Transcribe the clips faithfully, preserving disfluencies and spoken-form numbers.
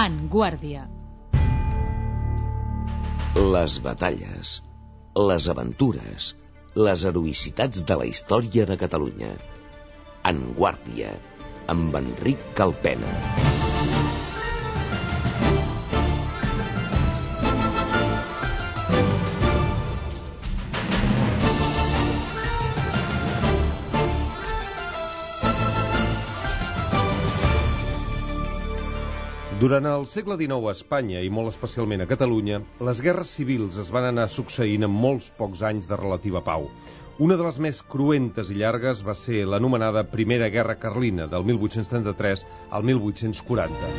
En Guàrdia. Les batalles, les aventures, les heroïcitats de la història de Catalunya. En Guàrdia, amb Enric Calpena. Durant el segle dinou a Espanya, i molt especialment a Catalunya, les guerres civils es van anar succeint en molts pocs anys de relativa pau. Una de les més cruentes i llargues va ser l'anomenada Primera Guerra Carlina, del mil vuit-cents trenta-tres al mil vuit-cents quaranta.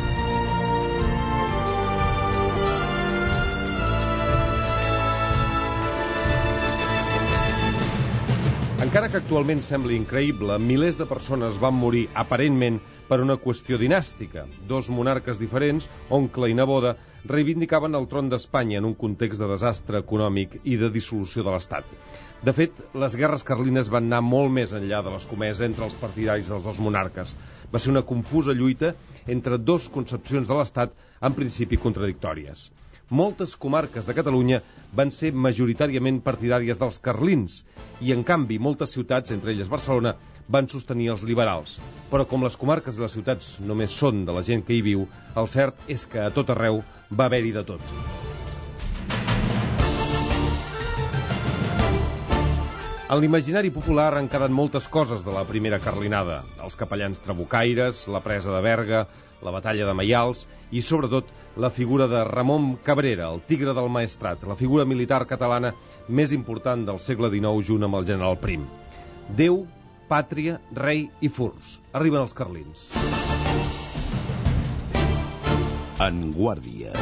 Encara que actualment sembli increïble, milers de persones van morir aparentment per una qüestió dinàstica. Dos monarques diferents, oncle i neboda, reivindicaven el tron d'Espanya en un context de desastre econòmic i de dissolució de l'Estat. De fet, les guerres carlines van anar molt més enllà de l'escomesa entre els partidaris dels dos monarques. Va ser una confusa lluita entre dos concepcions de l'Estat en principi contradictòries. Moltes comarques de Catalunya van ser majoritàriament partidàries dels carlins i, en canvi, moltes ciutats, entre elles Barcelona, van sostenir els liberals. Però com les comarques i les ciutats només són de la gent que hi viu, el cert és que a tot arreu va haver-hi de tot. En l'imaginari popular han quedat moltes coses de la primera carlinada. Els capellans trabucaires, la presa de Berga, la batalla de Maials i, sobretot, la figura de Ramon Cabrera, el tigre del Maestrat, la figura militar catalana més important del segle dinou junt amb el general Prim. Déu, pàtria, rei i furs. Arriben els carlins. En Guàrdia.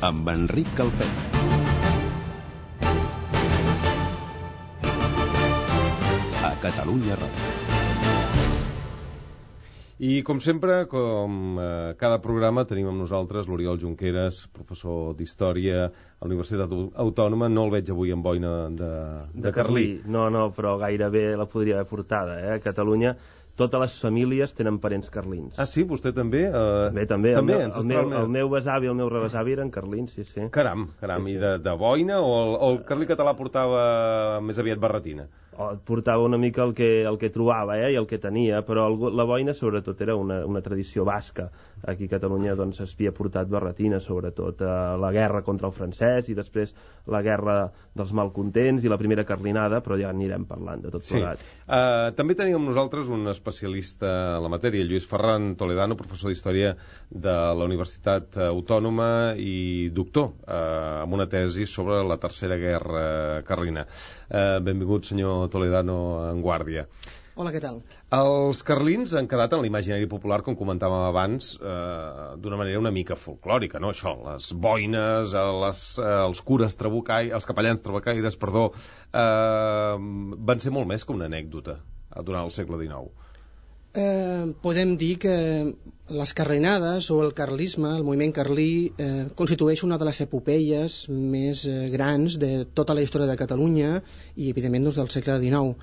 Amb Enric Calpena. A Catalunya Ràdio. I, com sempre, com eh, cada programa, tenim amb nosaltres l'Oriol Junqueras, professor d'Història a la Universitat Autònoma. No el veig avui amb boina de, de, de Carlí. No, no, però gairebé la podria haver portada. Eh? A Catalunya totes les famílies tenen parents carlins. Ah, sí? Vostè també? Eh... També, també. també el, meu, el, meu, el meu besavi i el meu rebesavi eren carlins, sí, sí. Caram, caram. Sí, sí. I de, de boina o el, o el carlí català portava més aviat barretina? Portava una mica el que, el que trobava eh, i el que tenia, però el, la boina sobretot era una, una tradició basca. Aquí a Catalunya doncs, s'havia portat barretina, sobretot a la guerra contra el francès i després la guerra dels malcontents i la primera carlinada, però ja anirem parlant de tot plegat. Sí. Uh, també tenim amb nosaltres un especialista en la matèria, Lluís Ferran Toledano, professor d'Història de la Universitat Autònoma i doctor uh, amb una tesi sobre la Tercera Guerra Carlina. Uh, benvingut, senyor Toledano, en Guàrdia. Hola, què tal? Els carlins han quedat en l'imaginari popular, com comentàvem abans, eh, d'una manera una mica folclòrica, no? Això, les boines, les, eh, els cures trabucaires, els capellans trabucaires, perdó, eh, van ser molt més que una anècdota durant el segle dinou. Eh, podem dir que les carlinades o el carlisme, el moviment carlí, eh, constitueix una de les epopeies més eh, grans de tota la història de Catalunya i, evidentment, doncs, del segle dinou.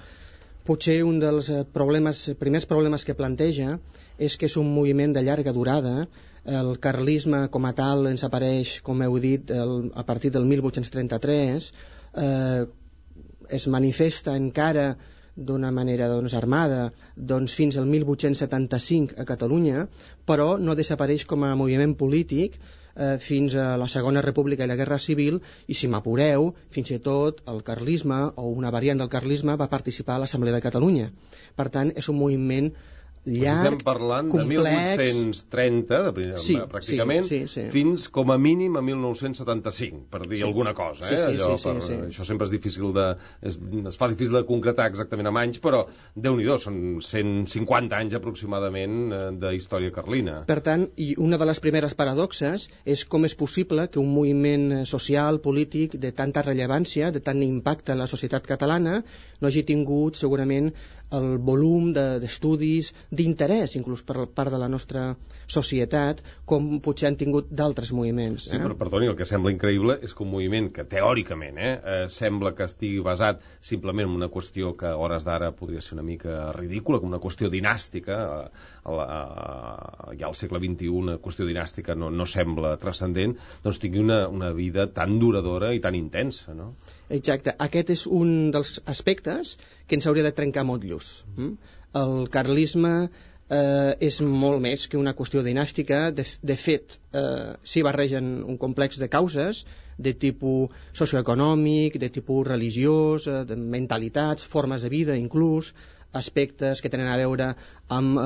Potser un dels problemes, primers problemes que planteja és que és un moviment de llarga durada. El carlisme com a tal ens apareix, com heu dit, el, a partir del mil vuit-cents trenta-tres, eh, es manifesta encara d'una manera doncs, armada doncs, fins al mil vuit-cents setanta-cinc a Catalunya, però no desapareix com a moviment polític eh, fins a la Segona República i la Guerra Civil, i si m'apureu, fins i tot el carlisme o una variant del carlisme va participar a l'Assemblea de Catalunya. Per tant, és un moviment llarg, estem parlant complex, de mil vuit-cents trenta, de, sí, pràcticament, sí, sí, sí. fins com a mínim a mil nou-cents setanta-cinc, per dir sí. alguna cosa. Eh? Sí, sí, Allò, sí, sí, per, sí. Això sempre és difícil de... Es, es fa difícil de concretar exactament amb anys, però Déu-n'hi-do, són cent cinquanta anys aproximadament de història carlina. Per tant, i una de les primeres paradoxes és com és possible que un moviment social, polític, de tanta rellevància, de tant impacte en la societat catalana, no hagi tingut segurament el volum d'estudis, d'interès, inclús per part de la nostra societat, com potser han tingut d'altres moviments. Eh? Sí, però perdoni, el que sembla increïble és que un moviment que teòricament eh, eh, sembla que estigui basat simplement en una qüestió que a hores d'ara podria ser una mica ridícula, com una qüestió dinàstica, a, a, a, ja al segle vint-i-u una qüestió dinàstica no, no sembla transcendent, doncs tingui una, una vida tan duradora i tan intensa, no? Exacte. Aquest és un dels aspectes que ens hauria de trencar motllos. Mm? El carlisme eh, és molt més que una qüestió dinàstica. De, de fet, eh, s'hi barregen un complex de causes de tipus socioeconòmic, de tipus religiós, eh, de mentalitats, formes de vida inclús, aspectes que tenen a veure amb eh,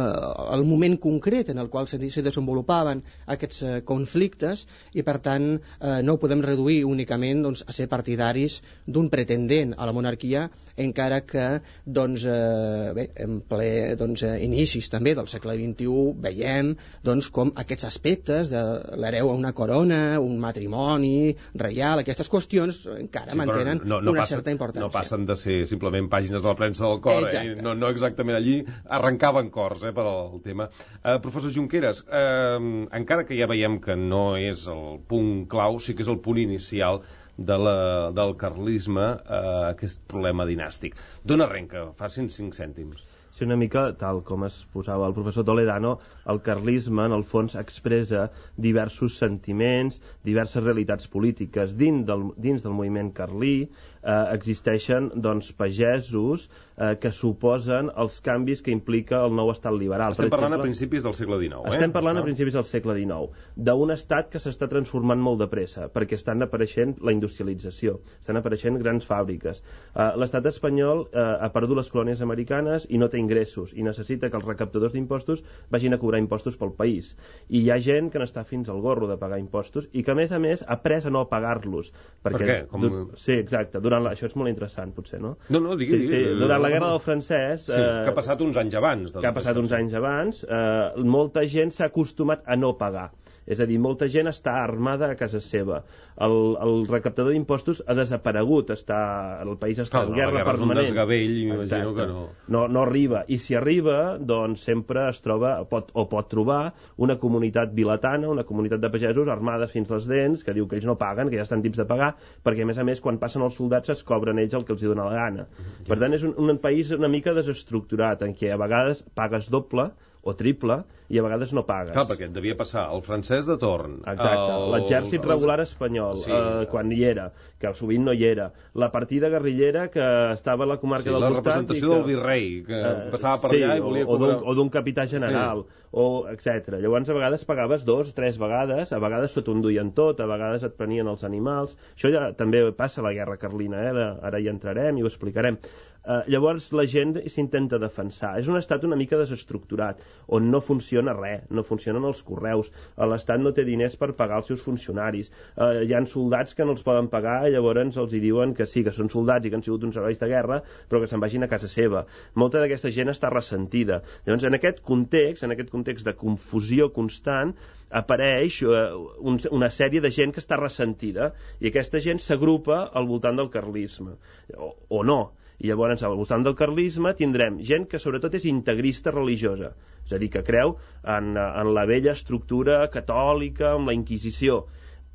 el moment concret en el qual se, se desenvolupaven aquests eh, conflictes, i per tant eh, no ho podem reduir únicament doncs, a ser partidaris d'un pretendent a la monarquia, encara que doncs, eh, bé, en ple doncs, eh, inicis també del segle vint-i-u veiem doncs, com aquests aspectes de l'hereu a una corona, un matrimoni reial, aquestes qüestions encara sí, mantenen no, no una passa, certa importància. No passen de ser simplement pàgines de la premsa del cor, eh? no, no exactament allí, arrencaven cors eh, per al tema. Uh, professor Junqueras, uh, encara que ja veiem que no és el punt clau, sí que és el punt inicial de la, del carlisme, uh, aquest problema dinàstic. D'on arrenca? Facin cinc cèntims. Sí, una mica, tal com es posava el professor Toledano, el carlisme, en el fons, expressa diversos sentiments, diverses realitats polítiques. Dins del, dins del moviment carlí eh, existeixen doncs, pagesos eh, que suposen els canvis que implica el nou estat liberal. Estem per parlant exemple, a principis del segle dinou, eh? Estem parlant Això? a principis del segle dinou, d'un estat que s'està transformant molt de pressa, perquè estan apareixent la industrialització, estan apareixent grans fàbriques. Eh, l'estat espanyol eh, ha perdut les colònies americanes i no té ingressos, i necessita que els recaptadors d'impostos vagin a cobrar impostos pel país. I hi ha gent que n'està fins al gorro de pagar impostos i que, a més a més, ha après a no pagar-los. Per què? Com... Sí, exacte. Durant la... Això és molt interessant, potser, no? No, no, digui, sí, sí. digui. Durant la Guerra del Francès... Sí, eh... que ha passat uns anys abans. Que ha passat uns anys abans, eh, molta gent s'ha acostumat a no pagar. És a dir, molta gent està armada a casa seva. El, el recaptador d'impostos ha desaparegut, està, el país està Clar, en guerra la guerra permanent. És un desgavell, m'imagino que no... no... No arriba, i si arriba, doncs sempre es troba, pot, o pot trobar, una comunitat vilatana, una comunitat de pagesos armades fins les dents, que diu que ells no paguen, que ja estan tips de pagar, perquè a més a més, quan passen els soldats es cobren ells el que els hi dona la gana. Ja. Per tant, és un, un país una mica desestructurat, en què a vegades pagues doble, o triple, i a vegades no pagues. Clar, perquè et devia passar el francès de torn. Exacte, el... l'exèrcit regular espanyol, sí. eh, quan hi era, que sovint no hi era. La partida guerrillera que estava a la comarca sí, del la costat... la representació que, del virrei, que eh, passava per sí, allà i volia cobrar... O d'un capità general, sí. o etcètera. Llavors, a vegades pagaves dos, tres vegades, a vegades s'ho t'enduien tot, a vegades et prenien els animals. Això ja també passa a la guerra carlina, eh? Ara hi entrarem i ho explicarem. Uh, llavors la gent s'intenta defensar. És un estat una mica desestructurat, on no funciona res, no funcionen els correus, l'estat no té diners per pagar els seus funcionaris, uh, hi ha soldats que no els poden pagar i llavors els hi diuen que sí, que són soldats i que han sigut uns herois de guerra, però que se'n vagin a casa seva. Molta d'aquesta gent està ressentida. Llavors, en aquest context, en aquest context de confusió constant, apareix uh, un, una sèrie de gent que està ressentida, i aquesta gent s'agrupa al voltant del carlisme, o, o no. I llavors, al voltant del carlisme, tindrem gent que sobretot és integrista religiosa, és a dir, que creu en, en la vella estructura catòlica, amb la Inquisició.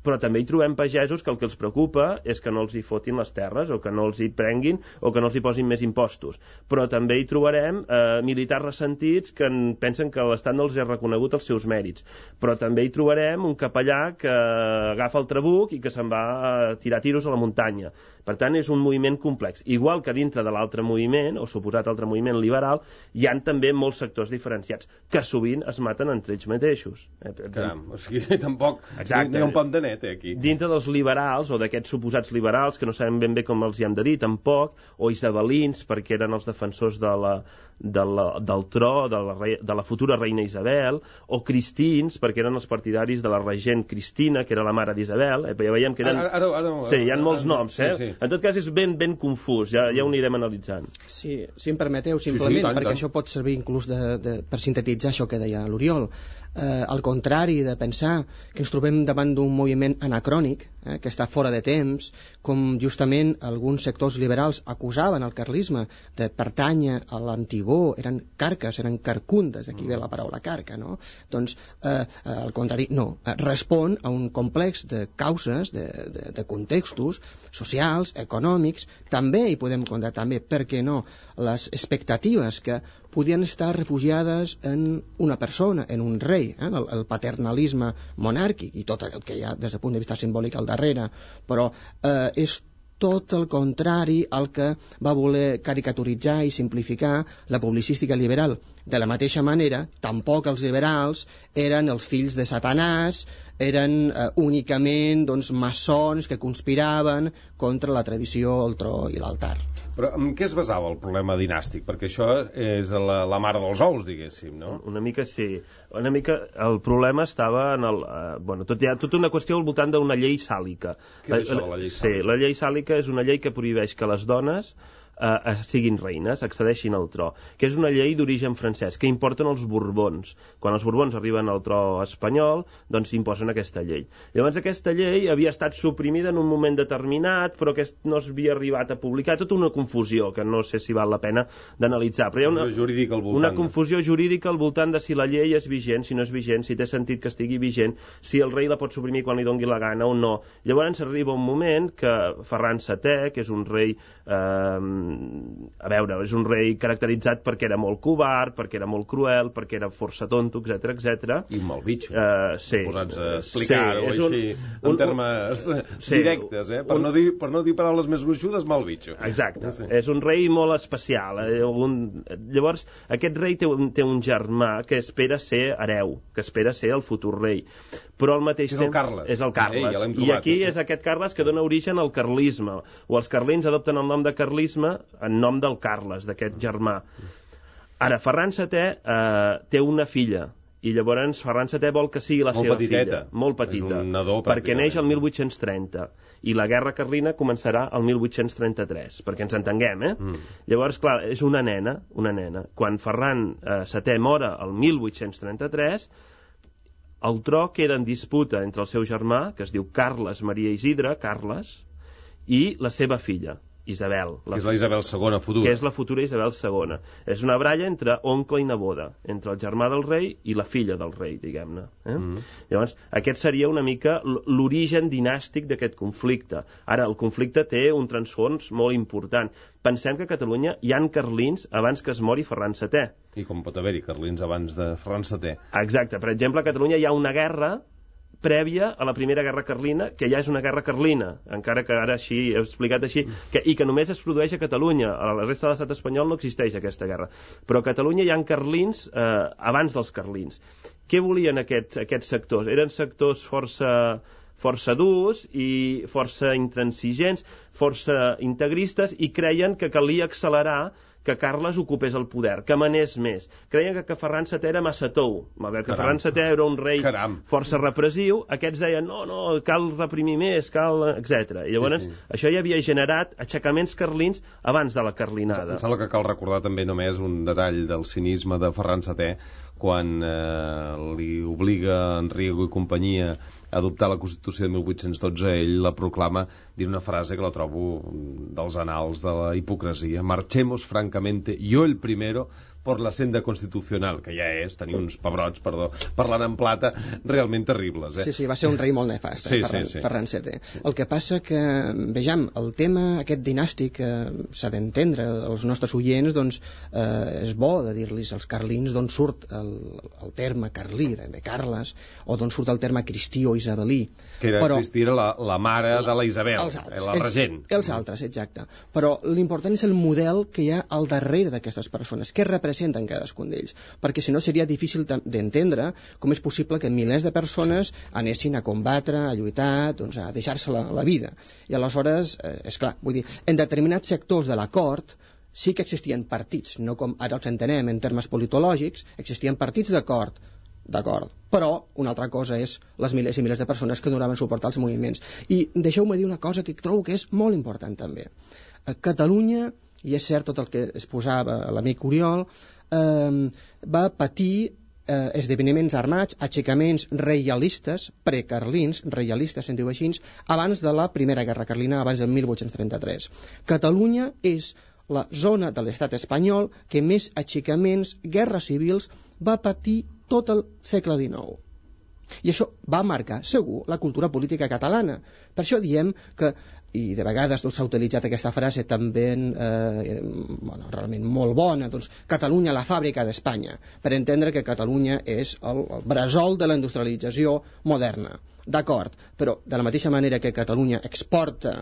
Però també hi trobem pagesos que el que els preocupa és que no els hi fotin les terres, o que no els hi prenguin, o que no els hi posin més impostos. Però també hi trobarem eh, militars ressentits que en pensen que l'Estat no els ha reconegut els seus mèrits. Però també hi trobarem un capellà que agafa el trabuc i que se'n va a tirar tiros a la muntanya. Per tant, és un moviment complex. Igual que dintre de l'altre moviment, o suposat altre moviment liberal, hi han també molts sectors diferenciats, que sovint es maten entre ells mateixos. Caram, o sigui, tampoc hi ha un pont de net, eh, aquí. Dintre dels liberals, o d'aquests suposats liberals, que no sabem ben bé com els hi hem de dir, tampoc, o isabelins, perquè eren els defensors de la, de la, del tro, de la, de la futura reina Isabel, o cristins, perquè eren els partidaris de la regent Cristina, que era la mare d'Isabel. Eh, ja veiem que eren... Ara, ara, ara, sí, hi ha molts noms, eh? Sí, sí. En tot cas, és ben, ben confús, ja, ja ho anirem analitzant. Sí, si em permeteu, simplement, sí, sí, tant, perquè tant. Això pot servir inclús de, de, per sintetitzar això que deia l'Oriol. eh, al contrari de pensar que ens trobem davant d'un moviment anacrònic, eh, que està fora de temps, com justament alguns sectors liberals acusaven el carlisme de pertànyer a l'antigó, eren carques, eren carcundes, aquí ve la paraula carca, no? Doncs, eh, al contrari, no, respon a un complex de causes, de, de, de contextos socials, econòmics, també hi podem comptar també, per què no, les expectatives que podien estar refugiades en una persona, en un rei, eh? el, el paternalisme monàrquic i tot el que hi ha des del punt de vista simbòlic al darrere, però eh, és tot el contrari al que va voler caricaturitzar i simplificar la publicística liberal. De la mateixa manera, tampoc els liberals eren els fills de Satanàs, eren eh, únicament doncs, maçons que conspiraven contra la tradició, el tro i l'altar. Però en què es basava el problema dinàstic? Perquè això és la, la mare dels ous, diguéssim, no? Una mica sí. Una mica el problema estava en el... Eh, bueno, tot, hi ha tota una qüestió al voltant d'una llei sàlica. Què és això de la llei sàlica? Sí, la llei sàlica és una llei que prohibeix que les dones eh, siguin reines, accedeixin al tro, que és una llei d'origen francès, que importen els Borbons. Quan els Borbons arriben al tro espanyol, doncs imposen aquesta llei. Llavors aquesta llei havia estat suprimida en un moment determinat, però que no s'havia arribat a publicar, tota una confusió, que no sé si val la pena d'analitzar. Però hi ha una, jurídica al voltant, una confusió jurídica al voltant de si la llei és vigent, si no és vigent, si té sentit que estigui vigent, si el rei la pot suprimir quan li doni la gana o no. Llavors arriba un moment que Ferran setè, que és un rei eh, a veure, és un rei caracteritzat perquè era molt covard, perquè era molt cruel, perquè era força tonto, etcètera, etcètera. I un mal bitxo. Uh, sí. Posats a explicar-ho sí, així, un, en termes un, directes, eh? Per, un, no dir, per no dir paraules més gruixudes, mal bitxo. Exacte. Sí. És un rei molt especial. Eh? Un... Llavors, aquest rei té un, té un germà que espera ser hereu, que espera ser el futur rei. Però al mateix temps... És el Carles. És el Carles. Ei, ja I aquí és aquest Carles que dona origen al carlisme. O els carlins adopten el nom de carlisme en nom del Carles, d'aquest germà. Ara, Ferran setè eh, té una filla, i llavors Ferran setè vol que sigui la molt seva petiteta. filla. Molt petita. És un nadó, perquè neix el mil vuit-cents trenta, i la guerra carlina començarà el mil vuit-cents trenta-tres, perquè ens entenguem, eh? Mm. Llavors, clar, és una nena, una nena. Quan Ferran eh, setè mora el mil vuit-cents trenta-tres, el tro queda en disputa entre el seu germà, que es diu Carles Maria Isidre, Carles, i la seva filla, Isabel. La que és la Isabel segona futura. Que és la futura Isabel segona. És una baralla entre oncle i neboda, entre el germà del rei i la filla del rei, diguem-ne. Eh? Mm. Llavors, aquest seria una mica l'origen dinàstic d'aquest conflicte. Ara, el conflicte té un transfons molt important. Pensem que a Catalunya hi han carlins abans que es mori Ferran setè. I com pot haver-hi carlins abans de Ferran setè. Exacte. Per exemple, a Catalunya hi ha una guerra prèvia a la primera guerra carlina, que ja és una guerra carlina, encara que ara així he explicat així, que, i que només es produeix a Catalunya. A la resta de l'estat espanyol no existeix aquesta guerra. Però a Catalunya hi ha carlins eh, abans dels carlins. Què volien aquests, aquests sectors? Eren sectors força, força durs i força intransigents, força integristes, i creien que calia accelerar que Carles ocupés el poder, que manés més. Creien que, que Ferran setè era massa tou. Malgrat que Ferran setè era un rei Caram. força repressiu, aquests deien, no, no, cal reprimir més, cal... etcètera. I llavors, sí, sí. Això ja havia generat aixecaments carlins abans de la carlinada. Em sembla que cal recordar també només un detall del cinisme de Ferran setè, quan eh, li obliga Enrico i companyia a adoptar la Constitució de mil vuit-cents dotze, ell la proclama dient una frase que la trobo dels anals de la hipocresia: marchemos francamente, yo el primero, por la senda constitucional, que ja és tenir uns pebrots, perdó, parlant en plata, realment terribles. Eh? Sí, sí, va ser un rei molt nefast, sí, eh, Ferran, sí, sí. Ferran setè. El que passa que, vejam, el tema aquest dinàstic eh, s'ha d'entendre, els nostres oients, doncs, eh, és bo de dir-los als carlins d'on surt el, el terme carlí, de, de Carles, o d'on surt el terme cristí o isabelí. Que era, però, Cristí era la, la mare la, de la Isabel, altres, la regent. Els, els altres, exacte. Però l'important és el model que hi ha al darrere d'aquestes persones, què representen cadascun d'ells, perquè si no seria difícil d'entendre com és possible que milers de persones anessin a combatre, a lluitar, doncs a deixar-se la, la vida. I aleshores, eh, és clar, vull dir, en determinats sectors de la cort sí que existien partits, no com ara els entenem en termes politològics, existien partits de cort, d'acord, però una altra cosa és les milers i milers de persones que donaven suport als moviments. I deixeu-me dir una cosa que trobo que és molt important també. A Catalunya, i és cert tot el que es posava l'amic Oriol, eh, va patir eh, esdeveniments armats, aixecaments reialistes, precarlins, reialistes se'n diu així, abans de la Primera Guerra Carlina, abans del mil vuit-cents trenta-tres. Catalunya és la zona de l'estat espanyol que més aixecaments, guerres civils, va patir tot el segle dinou. I això va marcar, segur, la cultura política catalana. Per això diem que, i de vegades doncs, s'ha utilitzat aquesta frase també eh, bueno, realment molt bona, doncs, Catalunya la fàbrica d'Espanya, per entendre que Catalunya és el, el bressol de la industrialització moderna. D'acord, però de la mateixa manera que Catalunya exporta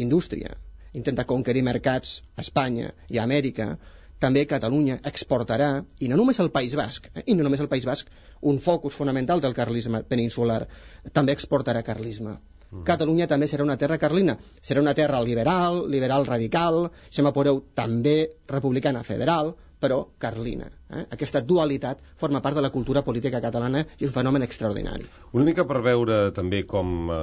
indústria, intenta conquerir mercats a Espanya i a Amèrica, també Catalunya exportarà, i no només el País Basc, eh, i no només el País Basc, un focus fonamental del carlisme peninsular, també exportarà carlisme. Mm. Catalunya també serà una terra carlina, serà una terra liberal, liberal radical, si m'apureu també republicana federal, però carlina. Eh? Aquesta dualitat forma part de la cultura política catalana i és un fenomen extraordinari. Una mica per veure també com eh,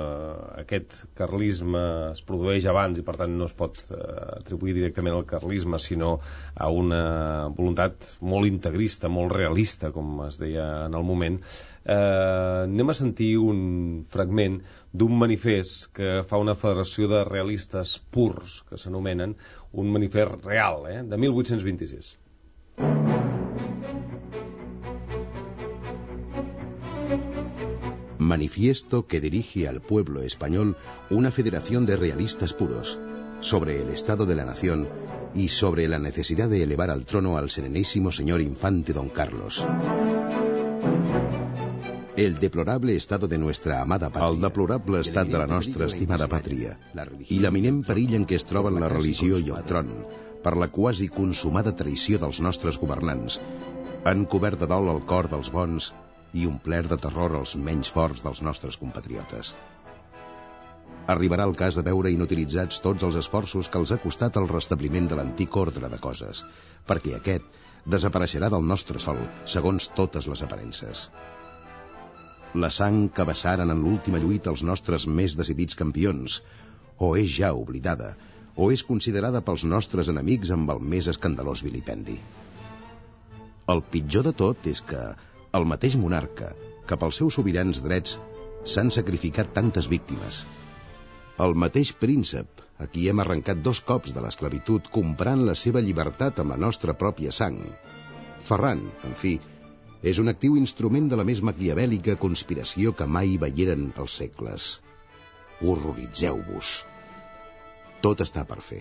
aquest carlisme es produeix abans i per tant no es pot eh, atribuir directament al carlisme sinó a una voluntat molt integrista, molt realista, com es deia en el moment. Eh, anem a sentir un fragment d'un manifest que fa una federació de realistes purs, que s'anomenen, un manifest real, eh, de mil vuit-cents vint-i-sis. Manifiesto que dirige al pueblo español una federación de realistas puros sobre el estado de la nación y sobre la necesidad de elevar al trono al serenísimo señor infante don Carlos. El deplorable estado de nuestra amada pàtria, el deplorable estat de la nostra estimada pàtria, i l'eminent perill en què es troben la religió i el tron, per la quasi consumada traïció dels nostres governants, han cobert de dol el cor dels bons i omplert de terror els menys forts dels nostres compatriotes. Arribarà el cas de veure inutilitzats tots els esforços que els ha costat el restabliment de l'antic ordre de coses, perquè aquest desapareixerà del nostre sol, segons totes les aparences. La sang que vessaren en l'última lluita els nostres més decidits campions, o és ja oblidada, o és considerada pels nostres enemics amb el més escandalós vilipendi. El pitjor de tot és que el mateix monarca, que pels seus sobirans drets s'han sacrificat tantes víctimes, el mateix príncep, a qui hem arrencat dos cops de l'esclavitud comprant la seva llibertat amb la nostra pròpia sang, Ferran, en fi, és un actiu instrument de la més maquiavèlica conspiració que mai veieren els segles. Horroritzeu-vos. Tot està per fer.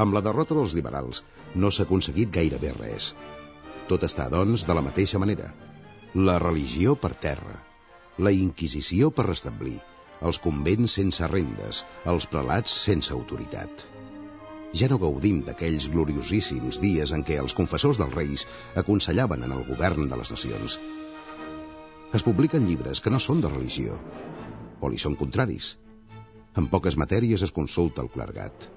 Amb la derrota dels liberals no s'ha aconseguit gairebé res. Tot està, doncs, de la mateixa manera. La religió per terra, la Inquisició per restablir, els convents sense rendes, els prelats sense autoritat. Ja no gaudim d'aquells gloriosíssims dies en què els confessors dels reis aconsellaven en el govern de les nacions. Es publiquen llibres que no són de religió, o li són contraris. En poques matèries es consulta el clergat.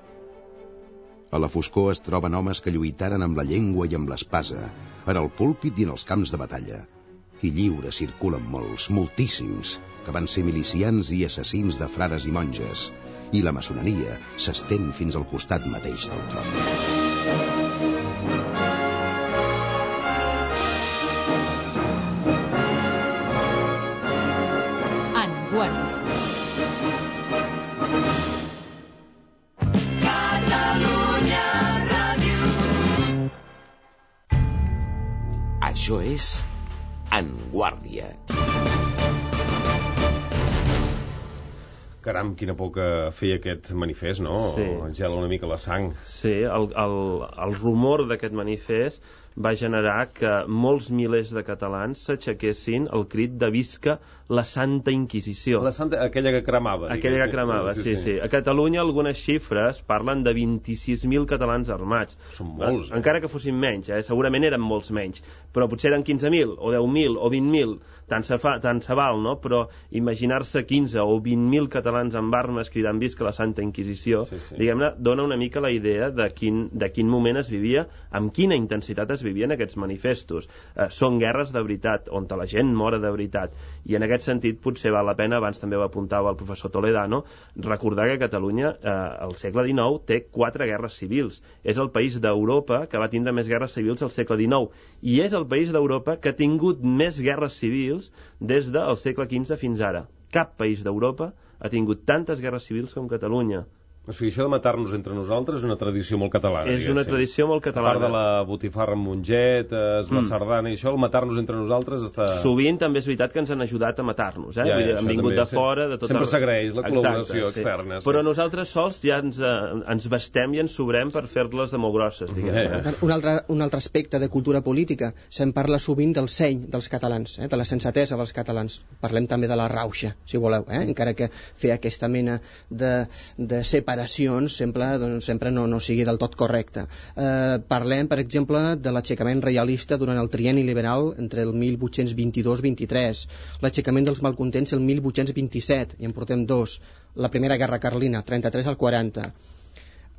A la foscor es troben homes que lluitaren amb la llengua i amb l'espasa, en el púlpit i en els camps de batalla. I lliures circulen molts, moltíssims, que van ser milicians i assassins de frares i monges, i la maçoneria s'estén fins al costat mateix del tron. Enguany. Això és En Guàrdia. Caram, quina por que feia aquest manifest, no? Sí. Gela una mica la sang. Sí, el, el, el rumor d'aquest manifest va generar que molts milers de catalans s'aixequessin el crit de visca la Santa Inquisició. La Santa, aquella que cremava. Aquella que cremava, sí, sí, sí. A Catalunya algunes xifres parlen de vint-i-sis mil catalans armats. Són molts. Eh? Encara que fossin menys, eh? Segurament eren molts menys. Però potser eren quinze mil, o deu mil, o vint mil. Tant se, fa, tant se val, no? Però imaginar-se quinze o vint mil catalans amb armes cridant visca la Santa Inquisició, sí, sí. Diguem-ne, dona una mica la idea de quin, de quin moment es vivia, amb quina intensitat es vivien aquests manifestos. Eh, són guerres de veritat, on la gent mora de veritat, i en aquest sentit potser val la pena, abans també ho apuntava el professor Toledano, recordar que Catalunya eh, al segle dinou té quatre guerres civils. És el país d'Europa que va tindre més guerres civils al segle dinou, i és el país d'Europa que ha tingut més guerres civils des del segle quinze fins ara. Cap país d'Europa ha tingut tantes guerres civils com Catalunya. O sigui, això de matar-nos entre nosaltres és una tradició molt catalana. És una tradició molt catalana. A part de la botifarra amb mongetes, la mm. sardana i això, el matar-nos entre nosaltres està... Sovint també és veritat que ens han ajudat a matar-nos, eh? Ja, ja, han vingut de fora... De tot sempre el... s'agraeix la col·laboració Exacte, externa. Sí. Sí. Però nosaltres sols ja ens, eh, ens vestem i ens sobrem per fer-les de molt grosses, diguem. Yeah. Eh? Un, altre, un altre aspecte de cultura política. Se'n parla sovint del seny dels catalans, eh? de la sensatesa dels catalans. Parlem també de la rauxa, si voleu, eh? encara que fer aquesta mena de, de separacions sempre doncs, sempre no, no sigui del tot correcte. Eh, parlem, per exemple, de l'aixecament reialista durant el trienni liberal entre el mil vuit-cents vint-i-dos vint-i-tres, l'aixecament dels malcontents el mil vuit-cents vint-i-set, i en portem dos, la primera guerra carlina, trenta-tres al quaranta,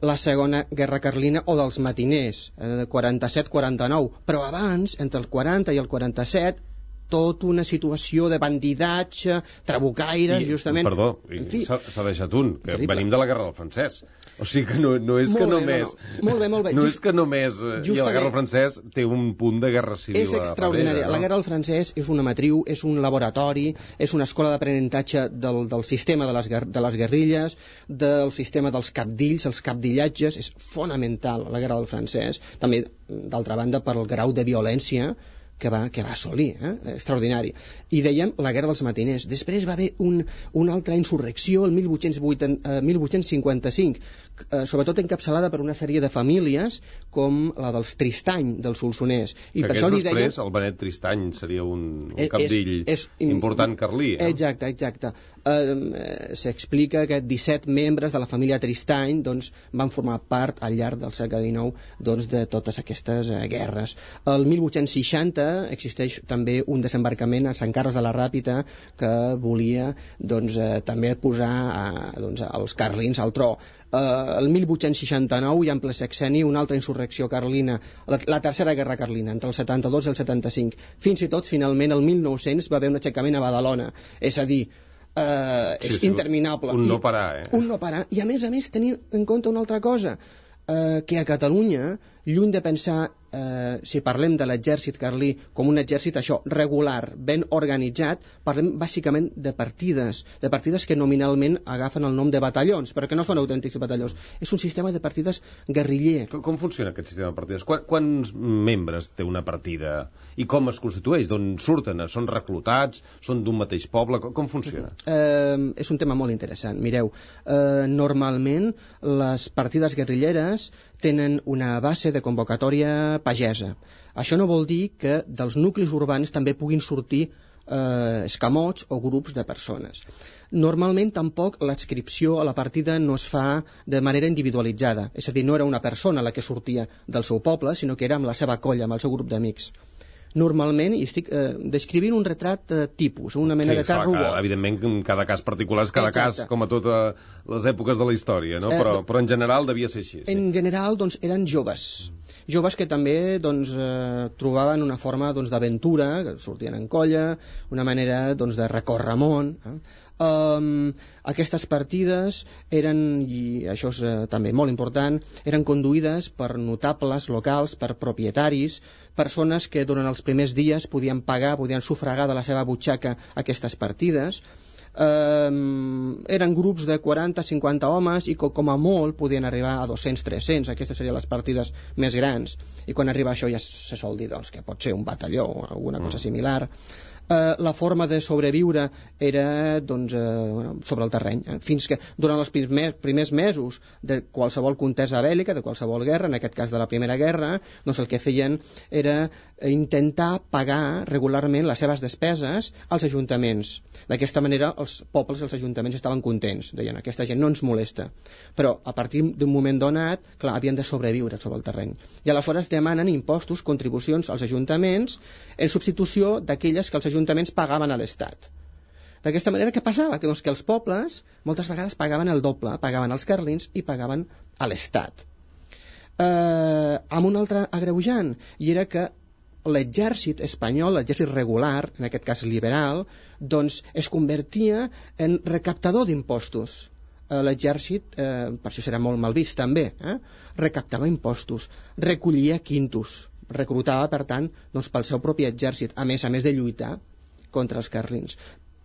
la segona guerra carlina o dels matiners, eh, quaranta-set quaranta-nou, però abans, entre el quaranta i el quaranta-set, tota una situació de bandidatge, trabucaires, I, justament... Perdó, s'ha deixat un, que terrible. Venim de la guerra del francès. O sigui que no, no és molt que bé, només... No, no. Molt bé, molt bé. No Just, és que només... I la guerra del francès té un punt de guerra civil. És extraordinària. No? La guerra del francès és una matriu, és un laboratori, és una escola d'aprenentatge del, del sistema de les, de les guerrilles, del sistema dels cabdills, els cabdillatges. És fonamental la guerra del francès. També, d'altra banda, per el grau de violència que va, que va assolir, eh? extraordinari. I dèiem la guerra dels matiners. Després va haver un, una altra insurrecció el mil vuit-cents cinquanta-cinc, eh, sobretot encapçalada per una sèrie de famílies com la dels Tristany, dels Solsonès. I que per això li després deien... el Benet Tristany seria un, un capdill és, és, important carlí. Eh? Exacte, exacte. Eh, S'explica que disset membres de la família Tristany doncs, van formar part al llarg del segle dinou doncs, de totes aquestes eh, guerres. El mil vuit-cents seixanta existeix també un desembarcament a Sant Carles de la Ràpita que volia doncs, eh, també posar eh, doncs, els carlins al tro. Eh, el mil vuit-cents seixanta-nou i en ple sexenni una altra insurrecció carlina, la, la tercera guerra carlina, entre el setanta-dos i el setanta-cinc. Fins i tot, finalment, el mil nou-cents va haver un aixecament a Badalona. És a dir, eh, és sí, sí, interminable. Un no parar, eh? Un no parar. I a més a més tenir en compte una altra cosa, eh, que a Catalunya, lluny de pensar Eh, si parlem de l'exèrcit carlí com un exèrcit això, regular, ben organitzat, parlem bàsicament de partides, de partides que nominalment agafen el nom de batallons, però que no són autèntics batallons. És un sistema de partides guerriller. Com, com funciona aquest sistema de partides? Qu quants membres té una partida? I com es constitueix? D'on surten? Són reclutats? Són d'un mateix poble? Com, com funciona? Eh, és un tema molt interessant. Mireu, eh, normalment les partides guerrilleres tenen una base de convocatòria pagesa. Això no vol dir que dels nuclis urbans també puguin sortir eh, escamots o grups de persones. Normalment tampoc l'adscripció a la partida no es fa de manera individualitzada, és a dir, no era una persona la que sortia del seu poble, sinó que era amb la seva colla, amb el seu grup d'amics. Normalment, i estic eh, descrivint un retrat eh, tipus, una mena sí, de cas robot. Evidentment, en cada cas particular és cada Exacte. Cas, com a totes les èpoques de la història, no? Eh, però, però en general devia ser així. Sí. En general, doncs, eren joves. Joves que també doncs, eh, trobaven una forma doncs, d'aventura, que sortien en colla, una manera doncs, de recórrer món. Eh? Um, aquestes partides eren, i això és eh, també molt important, eren conduïdes per notables locals, per propietaris, persones que durant els primers dies podien pagar, podien sufragar de la seva butxaca aquestes partides. Um, eren grups de quaranta a cinquanta homes i com a molt podien arribar a dos-cents a tres-cents. Aquestes serien les partides més grans, i quan arriba això ja se sol dir doncs, que pot ser un batalló o alguna cosa similar. Uh, la forma de sobreviure era doncs, uh, bueno, sobre el terreny, eh? Fins que durant els primers, primers mesos de qualsevol contesa bèl·lica, de qualsevol guerra, en aquest cas de la Primera Guerra, doncs el que feien era intentar pagar regularment les seves despeses als ajuntaments. D'aquesta manera els pobles i els ajuntaments estaven contents, deien, aquesta gent no ens molesta, però a partir d'un moment donat, clar, havien de sobreviure sobre el terreny, i aleshores demanen impostos, contribucions als ajuntaments en substitució d'aquelles que els ajuntaments ajuntaments pagaven a l'Estat. D'aquesta manera, què passava? Que, doncs, que els pobles moltes vegades pagaven el doble, pagaven als carlins i pagaven a l'Estat. Eh, amb un altre agreujant, i era que l'exèrcit espanyol, l'exèrcit regular, en aquest cas liberal, doncs es convertia en recaptador d'impostos. L'exèrcit, eh, per això serà molt mal vist també, eh, recaptava impostos, recollia quintos, reclutava, per tant, doncs, pel seu propi exèrcit, a més a més de lluitar contra els carlins.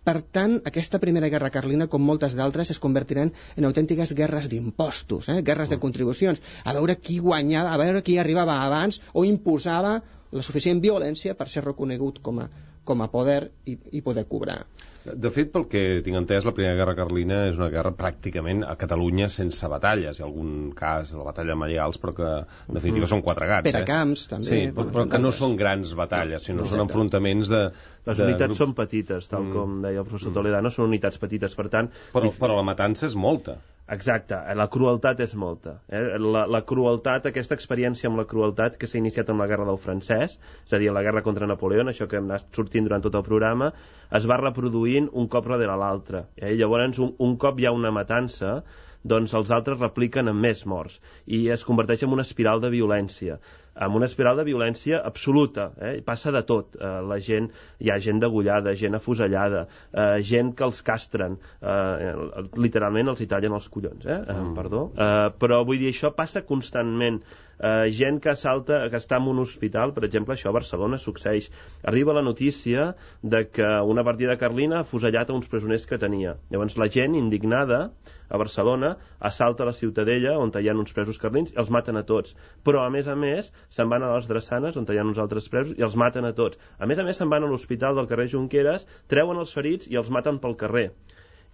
Per tant, aquesta primera guerra carlina, com moltes d'altres, es convertiran en autèntiques guerres d'impostos, eh? guerres de contribucions, a veure qui guanyava, a veure qui arribava abans o imposava la suficient violència per ser reconegut com a, com a poder i, i poder cobrar. De fet, pel que tinc entès, la Primera Guerra Carlina és una guerra pràcticament a Catalunya sense batalles. Hi ha algun cas de la batalla de Maials, però que en definitiva mm. són quatre gats. Per a camps, eh? també. Sí, però, però que no són grans batalles, sinó no, són enfrontaments de... Les de unitats grups. Són petites, tal mm. com deia el professor mm. Toledano, són unitats petites, per tant... Però, però la matança és molta. Exacte, la crueltat és molta. Eh? La, la crueltat, aquesta experiència amb la crueltat que s'ha iniciat amb la guerra del francès, és a dir, la guerra contra Napoleó, això que hem anat sortint durant tot el programa, es va reproduint un cop darrere l'altre. Eh? Llavors, un, un cop hi ha una matança, doncs els altres repliquen amb més morts i es converteix en una espiral de violència, amb una espiral de violència absoluta, eh? Passa de tot, eh, la gent, hi ha gent degollada, gent afusellada, eh, gent que els castren, eh, literalment els hi tallen els collons, eh? Eh, perdó, eh, però vull dir, això passa constantment. Uh, gent que salta, que està en un hospital, per exemple, això a Barcelona succeeix. Arriba la notícia de que una partida carlina ha afusellat a uns presoners que tenia. Llavors la gent, indignada, a Barcelona, assalta la Ciutadella, on hi ha uns presos carlins, i els maten a tots. Però, a més a més, se'n van a les Drassanes, on hi ha uns altres presos, i els maten a tots. A més a més, se'n van a l'hospital del carrer Junqueras, treuen els ferits i els maten pel carrer.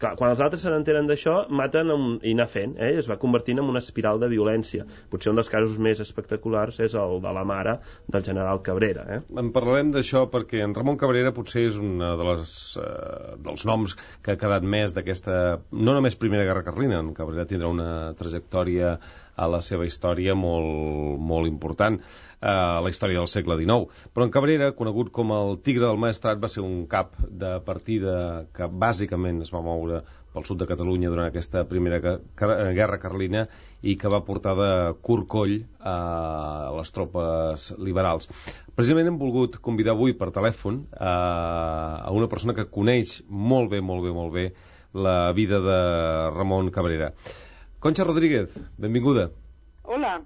Clar, quan els altres se n'entenen d'això, maten un... i anar fent, eh? Es va convertint en una espiral de violència. Potser un dels casos més espectaculars és el de la mare del general Cabrera. Eh? En parlarem d'això perquè en Ramon Cabrera potser és un de les, eh, dels noms que ha quedat més d'aquesta, no només Primera Guerra Carlina, en Cabrera tindrà una trajectòria a la seva història molt, molt important, a la història del segle dinou. Però en Cabrera, conegut com el Tigre del Maestrat, va ser un cap de partida que bàsicament es va moure pel sud de Catalunya durant aquesta primera guerra carlina i que va portar de curt coll a les tropes liberals. Precisament hem volgut convidar avui per telèfon a una persona que coneix molt bé, molt bé, molt bé la vida de Ramon Cabrera. Concha Rodríguez, benvinguda. Hola.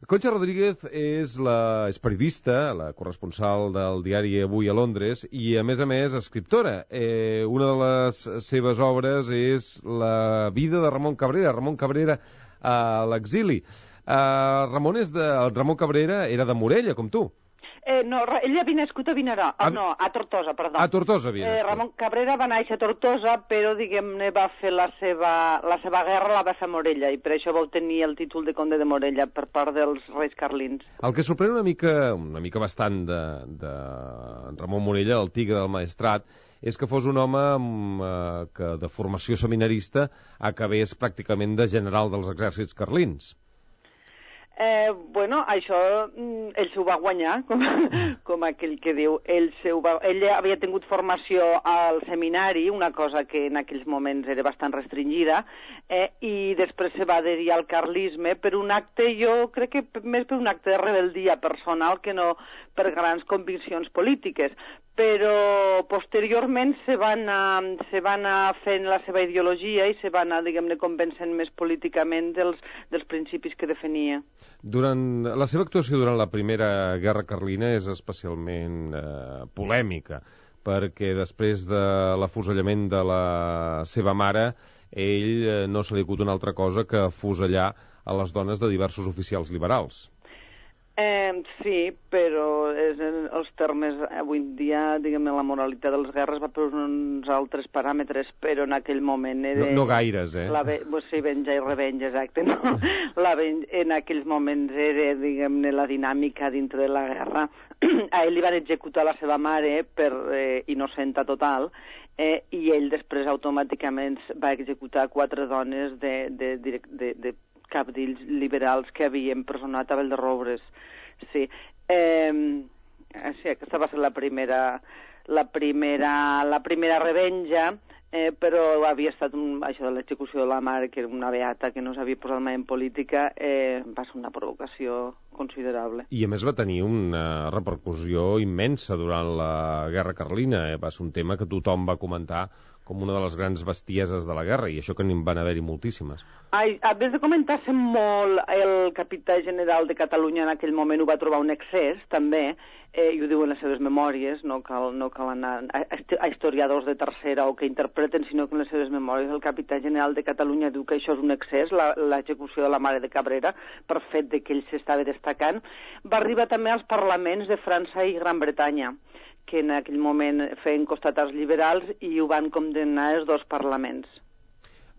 Concha Rodríguez és, la, és periodista, la corresponsal del diari Avui a Londres i, a més a més, escriptora. Eh, una de les seves obres és la vida de Ramon Cabrera, Ramon Cabrera a l'exili. Eh, Ramon, és de, Ramon Cabrera era de Morella, com tu. Eh, no, ell havia nascut a Vinarà, ah, no, a Tortosa, perdó. A Tortosa havia nascut. Eh, Ramon Cabrera va néixer a Tortosa, però, diguem-ne, va fer la seva, la seva guerra la va fer a Morella, i per això va obtenir el títol de conde de Morella per part dels reis carlins. El que sorprèn una mica, una mica bastant de, de Ramon Morella, el Tigre del Maestrat, és que fos un home amb, eh, que de formació seminarista acabés pràcticament de general dels exèrcits carlins. Eh, bueno, això ell s'ho va guanyar, com, com aquell que diu. Ell, va, ell havia tingut formació al seminari, una cosa que en aquells moments era bastant restringida, eh, i després se va adherir al carlisme per un acte, jo crec que més per un acte de rebeldia personal que no per grans conviccions polítiques. Però posteriorment se va anar, se va anar fent la seva ideologia i se va anar, diguem-ne, convencent més políticament dels, dels principis que defenia. Durant la seva actuació durant la Primera Guerra Carlina és especialment eh, polèmica, perquè després de l'afusellament de la seva mare, ell eh, no se li acut una altra cosa que afusellar a les dones de diversos oficials liberals. Eh, sí, però és en els termes, avui en dia, diguem-ne, la moralitat de les guerres va per uns altres paràmetres, però en aquell moment era... No, no gaires, eh? La, sí, venja i revenja, exacte, no? La, en aquells moments era, diguem-ne, la dinàmica dintre de la guerra. A ell li van executar la seva mare per eh, innocenta total, eh, i ell després automàticament va executar quatre dones de, de, de, de, de cabdills liberals que havien presonat a Valderrobres. Sí. Eh, sí, aquesta va ser la primera, la primera, la primera revenja. eh, però havia estat un, això de l'execució de la mare, que era una beata que no s'havia posat mai en política, eh, va ser una provocació considerable. I a més va tenir una repercussió immensa durant la Guerra Carlina, eh? Va ser un tema que tothom va comentar com una de les grans bestieses de la guerra, i això que n'hi van haver-hi moltíssimes. Ai, a més de comentar-se molt, el capità general de Catalunya en aquell moment ho va trobar un excés, també, eh, i ho diu en les seves memòries, no cal, no cal anar a, a historiadors de tercera o que interpreten, sinó que en les seves memòries el capità general de Catalunya diu que això és un excés, l'execució de la mare de Cabrera, per fet de que ell s'estava destacant. Va arribar també als parlaments de França i Gran Bretanya, que en aquell moment feien costat als liberals i ho van condemnar els dos parlaments.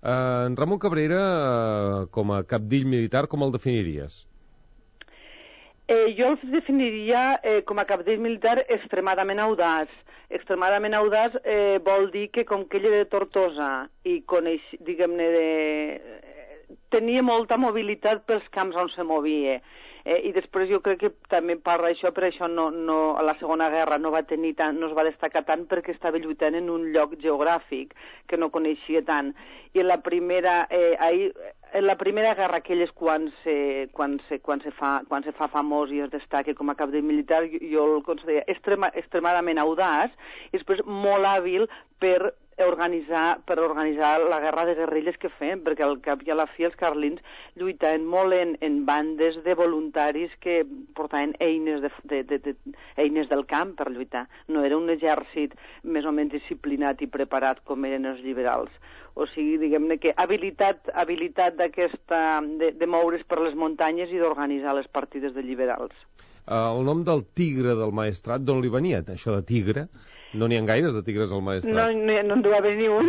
Uh, en Ramon Cabrera, uh, com a capdill militar, com el definiries? Eh, jo el definiria eh, com a capdill militar extremadament audaç. Extremadament audaç eh, vol dir que com que ell era de Tortosa i coneix, diguem-ne, de... tenia molta mobilitat pels camps on se movia. Eh, I després jo crec que també parla això, per això no, no, a la Segona Guerra no va tenir tant, no es va destacar tant perquè estava lluitant en un lloc geogràfic que no coneixia tant. I en la primera, eh, ahir, en la primera guerra, aquell és quan se, quan se, quan se, fa, quan se fa famós i es destaca com a cap de militar, jo, jo el considero extrema, extremadament audaç i després molt hàbil per organitzar, per organitzar la guerra de guerrilles que feien, perquè al cap i a la fi els carlins lluitaven molt en, en bandes de voluntaris que portaven eines, de, de, de, de, eines del camp per lluitar. No era un exèrcit més o menys disciplinat i preparat com eren els liberals. O sigui, diguem-ne que habilitat, habilitat d'aquesta, de, de moure's per les muntanyes i d'organitzar les partides de liberals. Uh, el nom del tigre del Maestrat, d'on li venia, això de tigre? No n'hi ha gaires de tigres al Maestrat. No, no, no en deu haver ni un,